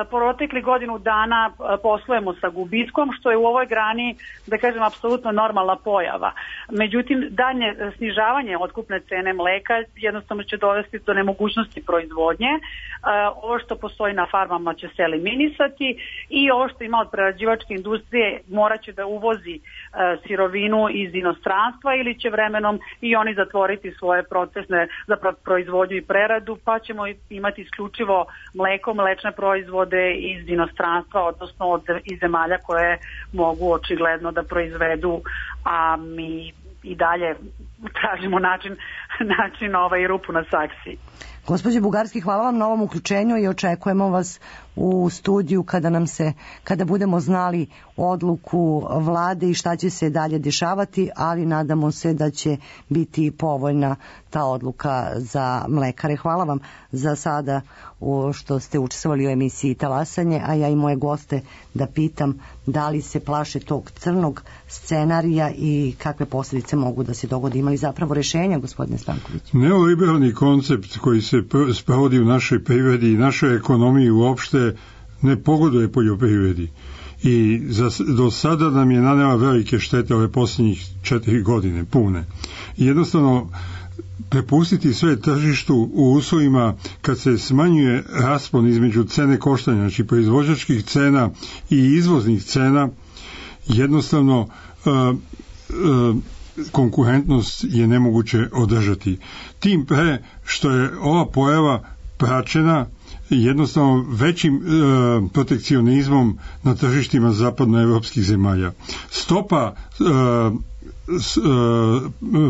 protekli godinu dana poslujemo sa gubitkom, što je u ovoj grani, da kažem, apsolutno normalna pojava. Međutim, dalje snižavanje otkupne cene mleka jednostavno će dovesti do nemogućnosti proizvodnje. Ovo što postoji na farmama će se eliminisati i ovo što ima od prerađivačke industrije morat će da uvozi sirovinu iz inostranstva ili će vremenom i oni zatvoriti svoje procesne za proizvodnju i preradu, pa ćemo imati isključivo mleko, mlečne proizvode iz inostranstva, odnosno iz zemalja koje mogu očigledno da proizvedu, a mi i dalje tražimo način rupu na saksiji. Gospođo Bugarski, hvala vam na ovom uključenju i očekujemo vas u studiju kada budemo znali odluku vlade i šta će se dalje dešavati, ali nadamo se da će biti povoljna ta odluka za mlekare. Hvala vam za sada što ste učestvovali u emisiji Talasanje, a ja i moje goste da pitam da li se plaše tog crnog scenarija i kakve posljedice mogu da se dogodi. Imali zapravo rešenja, gospodine Stanković? Neoliberalni koncept koji se sprovodi u našoj privredi i našoj ekonomiji uopšte ne pogoduje poljoprivredi. I do sada nam je nanela velike štete ove posljednjih 4 godine, pune. I jednostavno prepustiti sve tržištu u uslovima kad se smanjuje raspon između cene koštanja, znači proizvođačkih cena i izvoznih cena, jednostavno konkurentnost je nemoguće održati. Tim pre što je ova pojava praćena jednostavno većim protekcionizmom na tržištima zapadnoevropskih zemalja. Stopa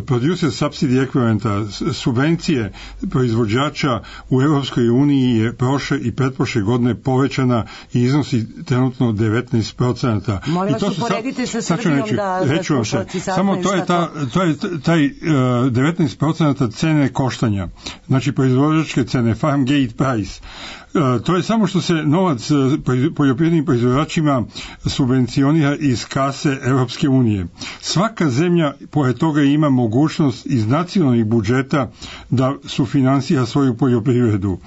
producer subsidy ekvivalenta, subvencije proizvođača u Europskoj uniji je prošle i pretprošle godine povećana i iznosi trenutno 19%. Molim vas uporedite sa Srbijom da slušalci samo to je taj 19% cene koštanja, znači proizvođačke cene, farm gate price. To je samo što se novac poljoprivrednim proizvođačima subvencionira iz kase Europske unije. Svaka zemlja pored toga ima mogućnost iz nacionalnih budžeta da sufinansira svoju poljoprivredu.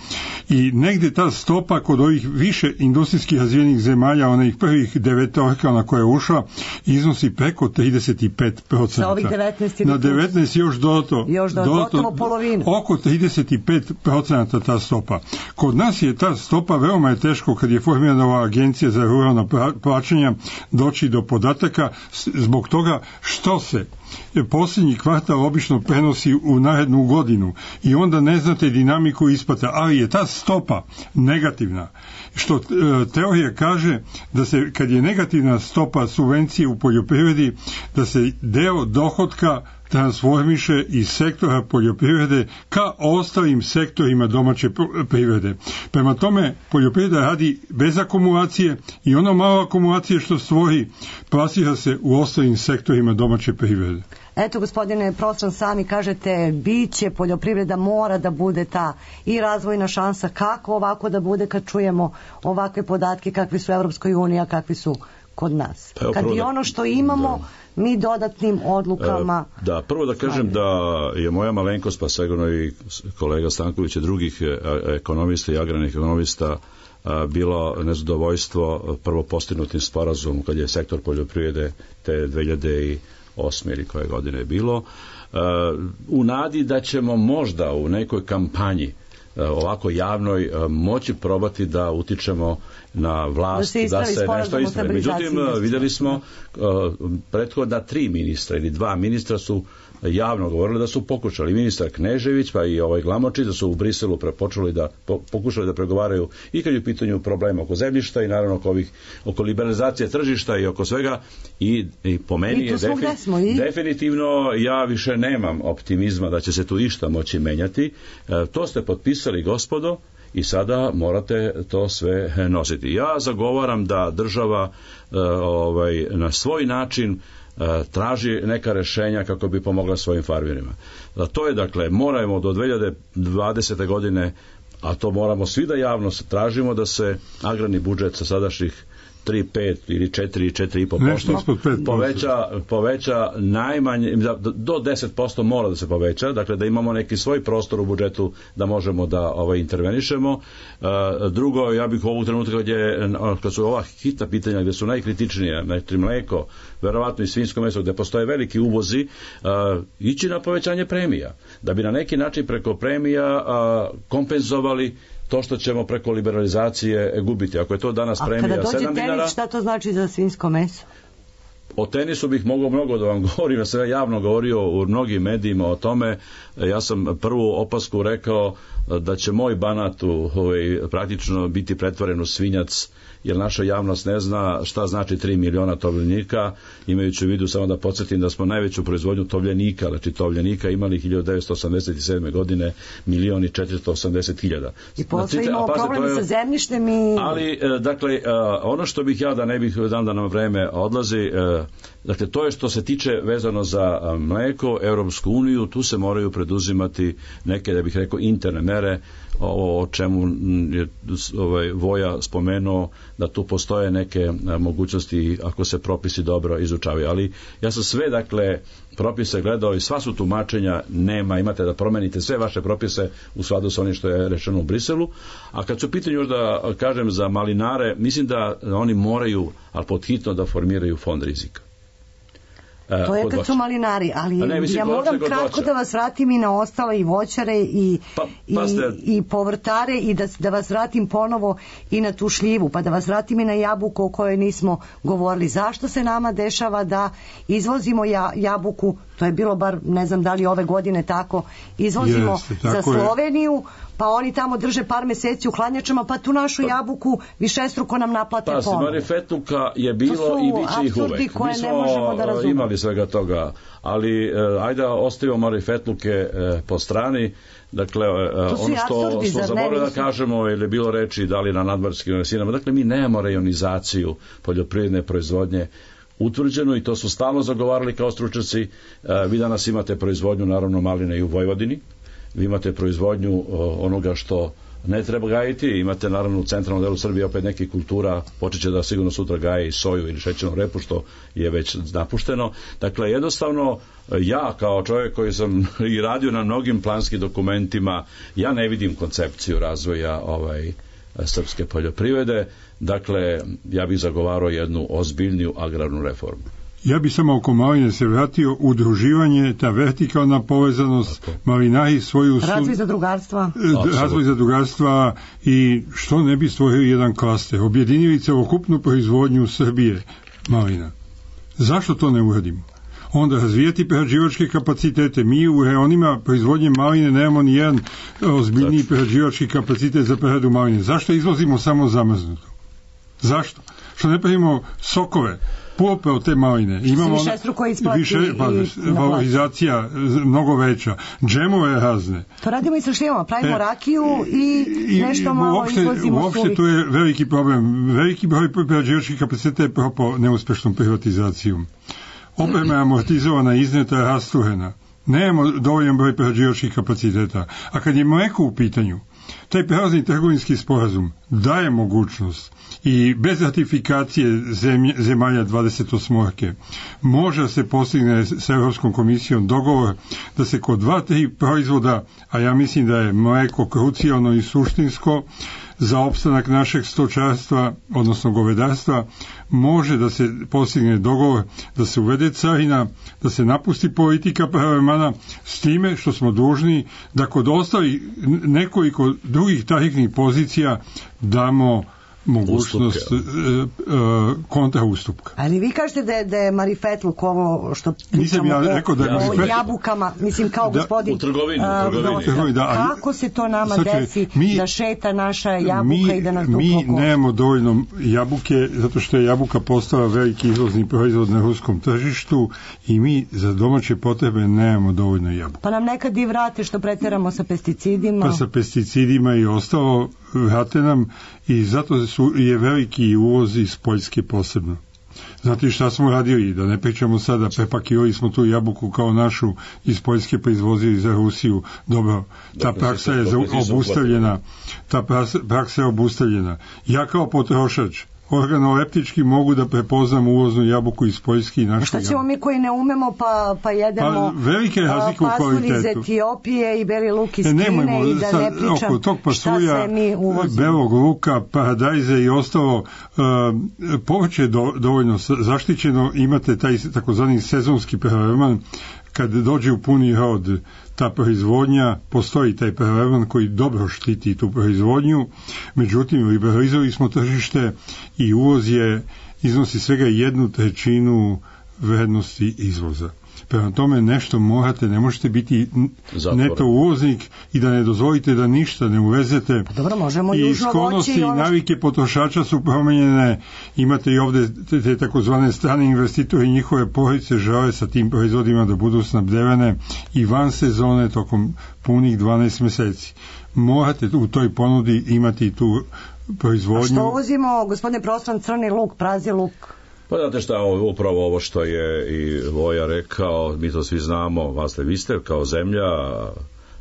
I negdje ta stopa kod ovih više industrijskih razvijenih zemalja, onih prvih 9 na koje je ušla, iznosi preko 35%. Na ovih 19 na 19 još dodatno polovinu. Oko 35% ta stopa. Kod nas je ta stopa veoma je teško kad je formirana ova agencija za ruralna plaćanja doći do podataka zbog toga što se posljednji kvartal obično prenosi u narednu godinu i onda ne znate dinamiku isplata, ali je ta stopa negativna. Što teorija kaže da se kad je negativna stopa subvencije u poljoprivredi, da se deo dohotka transformiše iz sektora poljoprivrede ka ostalim sektorima domaće privrede. Prema tome, poljoprivreda radi bez akumulacije i ono malo akumulacije što stvori plasira se u ostalim sektorima domaće privrede. Eto, gospodine Prostran, sami kažete, biće poljoprivreda mora da bude ta i razvojna šansa. Kako ovako da bude kad čujemo ovakve podatke kakvi su u Evropskoj uniji, a kakvi su kod nas? Kad i ono što imamo mi dodatnim odlukama... Prvo da kažem da je moja malenkost, pa sigurno i kolega Stanković i drugih ekonomista i agrarnih ekonomista bilo nezadovoljstvo prvo postignutim sporazumom kad je sektor poljoprivrede te 2008. ili koje godine je bilo, u nadi da ćemo možda u nekoj kampanji ovako javnoj moći probati da utičemo na vlast da se nešto ispravi. Međutim, vidjeli smo prethodna 3 ministra ili 2 ministra su javno govorili da su pokušali. Ministar Knežević pa i ovaj Glamočić da su u Briselu pokušali da pregovaraju i kad je u pitanju problema oko zemljišta i naravno oko liberalizacije tržišta i oko svega i po meni je definitivno ja više nemam optimizma da će se tu išta moći menjati. To ste potpisali, gospodo, i sada morate to sve nositi. Ja zagovaram da država na svoj način traži neka rešenja kako bi pomogla svojim farmerima. To je, dakle, moramo do 2020. godine, a to moramo svi da javno tražimo, da se agrarni budžet sa sadašnjih 3, 5 ili 4, 4,5% poveća najmanje, do 10% mora da se poveća, dakle da imamo neki svoj prostor u budžetu da možemo da intervenišemo. Drugo, ja bih ovog trenutka kad su ova hitna pitanja gdje su najkritičnije, znači mleko, verovatno i svinjsko meso, gdje postoje veliki uvozi, ići na povećanje premija, da bi na neki način preko premija kompenzovali to što ćemo preko liberalizacije gubiti. Ako je to danas premija 7 dinara... A kada dođe tenis, šta to znači za svinjsko meso? O tenisu bih mogao mnogo da vam govorim, ja sam javno govorio u mnogim medijima o tome. Ja sam prvu opasku rekao da će moj Banat praktično biti pretvoren u svinjac, jer naša javnost ne zna šta znači 3 miliona tovljenika, imajući u vidu, samo da podsjetim da smo najveću proizvodnju tovljenika, znači tovljenika imali 1987. godine 1.480.000. I posle imamo problem sa zemljištem i... Ali, dakle, ono što bih ja, da ne bih da nam vreme odlazi, dakle, to je što se tiče vezano za mleko, Europsku uniju, tu se moraju preduzimati neke, da bih rekao, interne mere, ovo o čemu je Voja spomenuo, da tu postoje neke mogućnosti ako se propisi dobro izučavaju. Ali ja sam sve, dakle, propise gledao i sva su tumačenja nema, imate da promenite sve vaše propise u skladu sa onim što je rečeno u Briselu. A kad su u pitanju, još da kažem, za malinare, mislim da oni moraju, ali podhitno, da formiraju fond rizika. To je kad su malinari, ali ja moram kratko da vas vratim i na ostale i voćare i povrtare i da vas vratim ponovo i na tu šljivu, pa da vas vratim i na jabuku o kojoj nismo govorili. Zašto se nama dešava da izvozimo jabuku, to je bilo bar, ne znam da li ove godine tako, izvozimo za Sloveniju, pa oni tamo drže par meseci u hladnjačama, pa tu našu jabuku višestruko nam naplate ponovno. Marifetluka je bilo i bit će ih uvek. Mi smo imali svega toga, ali ajde ostavimo marifetluke po strani. Dakle, ono što smo zaboravili da kažemo, ili je bilo reči da li na nadmorskim razinama, dakle mi nemamo rejonizaciju poljoprivredne proizvodnje utvrđeno i to su stalno zagovarali kao stručnjaci. Vi danas imate proizvodnju, naravno, maline i u Vojvodini. Vi imate proizvodnju onoga što ne treba gajiti, imate naravno u centralnom delu Srbije opet nekih kultura, počeće da sigurno sutra gaje i soju ili šećernu repu, što je već napušteno. Dakle, jednostavno, ja kao čovjek koji sam i radio na mnogim planskim dokumentima, ja ne vidim koncepciju razvoja srpske poljoprivrede. Dakle, ja bih zagovarao jednu ozbiljniju agrarnu reformu. Ja bih samo oko maline se vratio, udruživanje, ta vertikalna povezanost, malinari svoju... Razvoj zadrugarstva. Razvoj zadrugarstva i što ne bi stvorio jedan klaster, objedinili celokupnu proizvodnju Srbije malina. Zašto to ne uradimo? Onda razvijati prerađivačke kapacitete. Mi u reonima proizvodnje maline nemamo ni jedan ozbiljniji prerađivački kapacitet za preradu maline. Zašto izvozimo samo zamrznuto? Zašto? Što ne pravimo sokove, pulpe od te maline? Imamo valorizacija mnogo veća, džemove razne. To radimo i sa šljivama, pravimo rakiju i nešto malo izvozimo uopšte suvi. To je veliki problem. Veliki broj prerađivačkih kapaciteta je propo neuspešnom privatizacijom. Oprema je amortizovana, izneta, rasturena. Nemamo dovoljan broj prerađivačkih kapaciteta. A kad je mleko u pitanju, taj prelazni trgovinski sporazum daje mogućnost i bez ratifikacije zemalja 28. može se postigne sa Europskom komisijom dogovor da se kod 2-3 proizvoda, a ja mislim da je mleko krucijalno i suštinsko za opstanak našeg stočarstva, odnosno govedarstva, može da se postigne dogovor da se uvede carina, da se napusti politika pravovremena, s time što smo dužni da kod ostalih nekoliko drugih tarifnih pozicija damo mogućnost kontra ustupka. Ali vi kažete da je marifetluk ovo što nisam ja rekao da je o jabukama, mislim kao gospodin u trgovini. Kako se to nama desi da šeta naša jabuka i da nas mi nemamo dovoljno jabuke, zato što je jabuka postala veliki izvozni proizvod na ruskom tržištu i mi za domaće potrebe nemamo dovoljno jabuka. Pa nam nekad i vrate što preteramo sa pesticidima. Pa sa pesticidima i ostalo vrate nam i zato je veliki uvoz iz Poljske posebno. Znate šta smo radili, da ne pričamo sada, prepakirali smo tu jabuku kao našu iz Poljske pa izvozili za Rusiju. Dobro, ta praksa je obustavljena. Ta praksa je obustavljena. Ja kao potrošač organoleptički mogu da prepoznam uvoznu jabuku iz Poljske i našu jabuku. Šta ćemo mi koji ne umemo pa jedemo pasulj iz Etiopije i beli luk iz Kine i da ne pričam šta se mi uvozimo. Belog luka, paradajze i ostalo povrće je dovoljno zaštićeno, imate taj takozvani sezonski prelevan, kad dođe u puni rod ta proizvodnja, postoji taj prelevan koji dobro štiti tu proizvodnju, međutim liberalizovali smo tržište i uvoz iznosi svega 1/3 vrednosti izvoza. Prema tome nešto morate, ne možete biti neto uvoznik i da ne dozvolite da ništa ne uvezete. Pa dobro, možemo i sklonosti i navike potrošača su promenjene. Imate i ovde te takozvane strane investitori i njihove porodice žele sa tim proizvodima da budu snabdevene i van sezone tokom punih 12 meseci. Morate u toj ponudi imati tu proizvodnju. A što uvozimo, gospodine Prostran, crni luk, prazi luk? Pa znate šta, upravo ovo što je i Voja rekao, mi to svi znamo, vi ste kao zemlja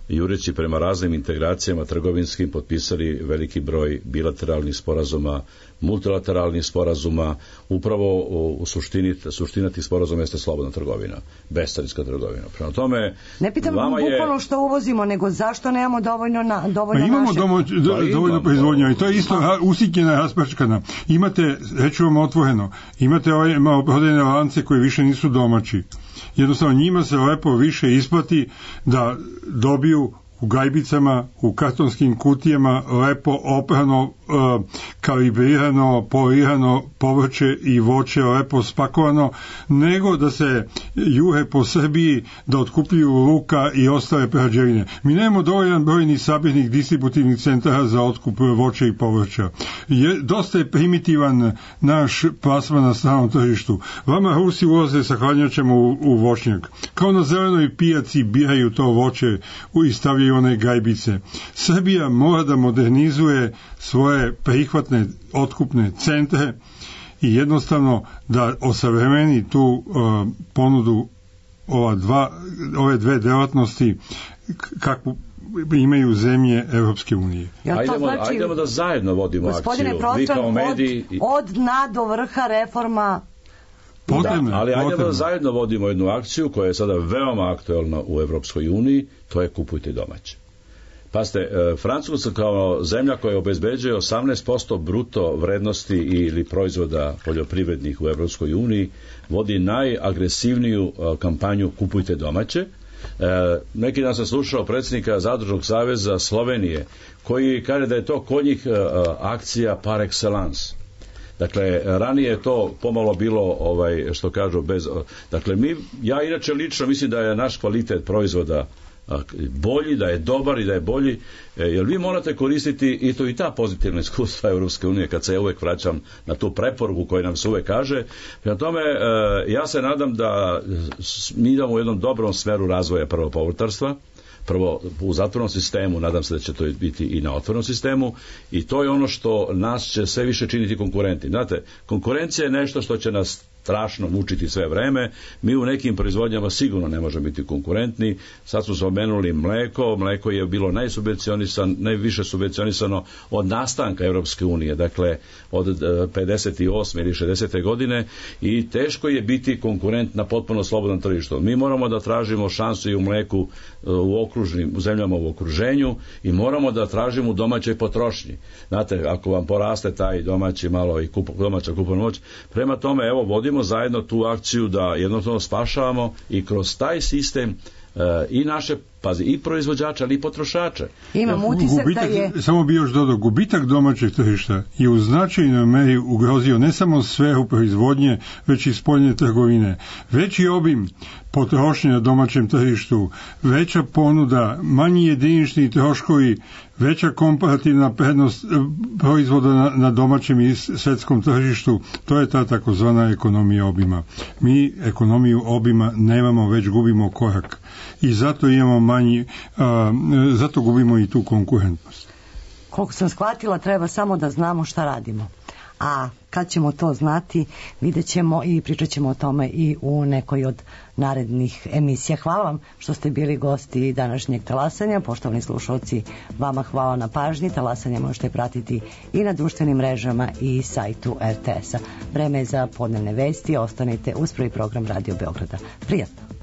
jureći prema raznim integracijama trgovinskim potpisali veliki broj bilateralnih sporazuma, multilateralnih sporazuma, upravo u suština tih sporazuma jeste slobodna trgovina, bescarinska trgovina. Prema tome, ne pitam bukvalno što uvozimo, nego zašto nemamo dovoljno imamo dovoljno proizvodnja i to je isto usitnjena, rasprčkana. Imate, reću vam otvoreno, imate maloprodajne lance koji više nisu domaći. Jednostavno njima se lepo više isplati da dobiju u gajbicama, u kartonskim kutijama lepo oprano, kalibrirano, polirano povrće i voće lepo spakovano, nego da se juhe po Srbiji da otkupljuju luka i ostale prerađevine. Mi nemamo dovoljan broj ni sabirnih distributivnih centara za otkup voća i povrća. Dosta je primitivan naš plasman na stranom tržištu. Vama Rusi ulaze sa hladnjačama u voćnjak. Kao na zelenoj pijaci biraju to voće i stavljaju one gajbice. Srbija mora da modernizuje svoje prihvatne otkupne centre i jednostavno da osavremeni tu ponudu ove dve delatnosti kakvu imaju zemlje Evropske unije. Ajdemo da zajedno vodimo akciju. Gospodine Prostran, od dna do vrha reforma potrebno. Ali ajdemo da zajedno vodimo jednu akciju koja je sada veoma aktuelna u Evropskoj uniji, to je kupujte domaće. Pazite, Francuska kao zemlja koja obezbeđuje 18% bruto vrednosti ili proizvoda poljoprivrednih u Evropskoj uniji vodi najagresivniju kampanju kupujte domaće. Neki dan sam slušao predsjednika Zadružnog saveza Slovenije koji kaže da je to kod njih akcija par excellence. Dakle, ranije je to pomalo bilo, što kažu, dakle, ja inače lično mislim da je naš kvalitet proizvoda bolji, da je dobar i da je bolji, jer vi morate koristiti i ta pozitivna iskustva Europske unije, kad se ja uvek vraćam na tu preporuku koju nam se uvek kaže. Prema tome, ja se nadam da mi idemo u jednom dobrom smeru razvoja prvo povrtarstva, prvo u zatvornom sistemu, nadam se da će to biti i na otvorenom sistemu i to je ono što nas će sve više činiti konkurenti. Znate, konkurencija je nešto što će nas strašno mučiti sve vreme. Mi u nekim proizvodnjama sigurno ne možemo biti konkurentni. Sad smo spomenuli mleko je bilo najviše subvencionisano od nastanka Europske unije, dakle od 58. ili 60. godine i teško je biti konkurent na potpuno slobodnom tržištu. Mi moramo da tražimo šansu i u mleku u zemljama u okruženju i moramo da tražimo u domaćoj potrošnji. Znate, ako vam poraste taj domaći malo i domaća kupovna moć, prema tome, evo, vodimo zajedno tu akciju da jednostavno spašavamo i kroz taj sistem i naše pazi, i proizvođača, ali i potrošača. Imam utisak da je... Samo bi još dodao, gubitak domaćeg tržišta je u značajnoj meri ugrozio ne samo sferu proizvodnje, već i spoljne trgovine. Veći obim potrošnje na domaćem tržištu, veća ponuda, manji jedinični troškovi, veća komparativna prednost proizvoda na domaćem i svetskom tržištu, to je ta takozvana ekonomija obima. Mi ekonomiju obima nemamo, već gubimo korak. I zato imamo zato gubimo i tu konkurentnost. Koliko sam shvatila, treba samo da znamo šta radimo. A kad ćemo to znati, vidjet ćemo i pričat ćemo o tome i u nekoj od narednih emisija. Hvala vam što ste bili gosti današnjeg talasanja. Poštovani slušalci, vama hvala na pažnji. Talasanje možete pratiti i na društvenim mrežama i sajtu RTS-a. Vreme je za podnevne vesti. Ostanite uz prvi program Radio Beograda. Prijatno!